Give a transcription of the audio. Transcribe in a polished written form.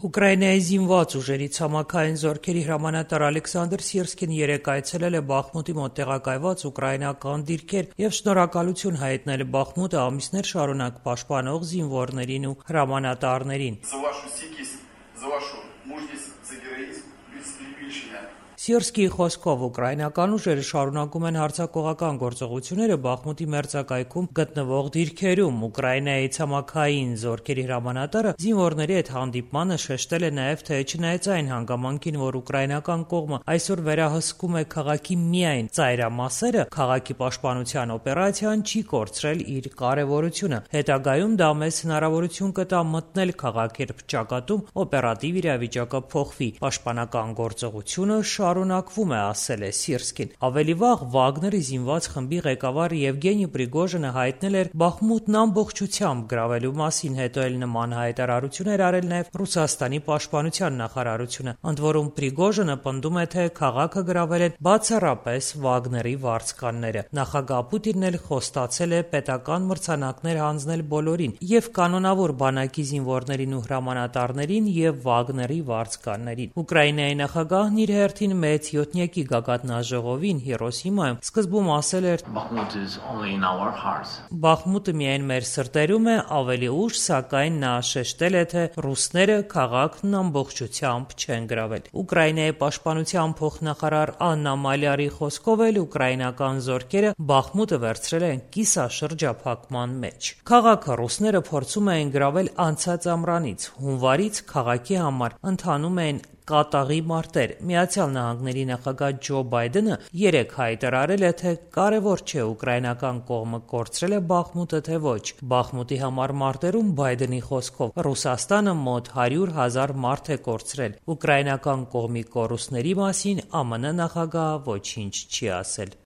Ուկրաինայի զինված ուժերի ցամաքային զորքերի հրամանատար Ալեքսանդր Սիրսկին երեկ այցելել է Բախմուտի մոտ տեղակայված ուկրաինական դիրքեր և շնորհակալություն հայտնել Բախմուտը ամիսներ շարունակ պաշտպանող զինվորներին ու հրամանատարներին։ Սիրսկիի խոսքով ուկրաինական ուժերը շարունակում են հարձակողական գործողությունները Բախմուտի մերձակայքում գտնվող դիրքերում։ Ուկրաինայի ցամաքային զորքերի հրամանատարը զինվորների հետ հանդիպմանը շեշտել է նաև, թե չնայած այն հանգամանքին, որ ուկրաինական կողմը այսօր վերահսկում է քաղաքի միայն ծայրամասերը, քաղաքի պաշտպանության օպերացիան չի կորցրել իր կարևորությունը։ Հետագայում դա մեզ հնարավորություն կտա մտնել քաղաք, երբ ճակատում օպերատիվ իրավիճակը փոխվի։ Պաշտպանական գործողությունը շարունակվում է, ասել է Սիրսկին։ Ավելի վաղ Վագների զինված խմբի ղեկավար Եվգենի Պրիգոժինը հայտնել էր Բախմուտն ամբողջությամբ գրավելու մասին, հետո էլ նման հայտարարություն էր արել նաև Ռուսաստանի պաշտպանության նախարարությունը։ Ընդ որում Պրիգոժինը պնդում է, թե քաղաքը գրավել են բացառապես Վագների վարձկանները։ Նախագահ Պուտինն էլ խոստացել է պետական մրցանակներ հանձնել բոլորին, և կանոնավոր բանակի զինվորներին ու հրամանատարներին, և Վագների վարձկաններին։ Ուկրաինայի նախագահն իր հերթին մեծ յոթնյակի գագաթնաժողովին Հիրոսիմայում սկզբում ասել էր. «Բախմուտը միայն մեր սրտերում է», ավելի ուշ, սակայն նա շեշտել է, թե ռուսները քաղաքն ամբողջությամբ չեն գրավել։ Ուկրաինայի պաշտպանության փոխնախարար Աննա Մալյարի խոսքով էլ ուկրաինական զորքերը Բախմուտը վերցրել են կիսաշրջափակման մեջ։ Քաղաքը ռուսները փորձում էին գրավել անցած ամռանից։ Հունվարից քաղաքի համար ընթանում էին կատաղի մարտեր։ Միացյալ Նահանգների նախագահ Ջո Բայդենը երեկ հայտարարել է, թե կարևոր չէ ուկրաինական կողմը կորցրել է Բախմուտը, թե ոչ։ Բախմուտի համար մարտերում, Բայդենի խոսքով, Ռուսաստանը մոտ 100,000 մարդ է կորցրել։ Ուկրաինական կողմի կորուստների մասին ԱՄՆ նախագահը ոչինչ չի ասել։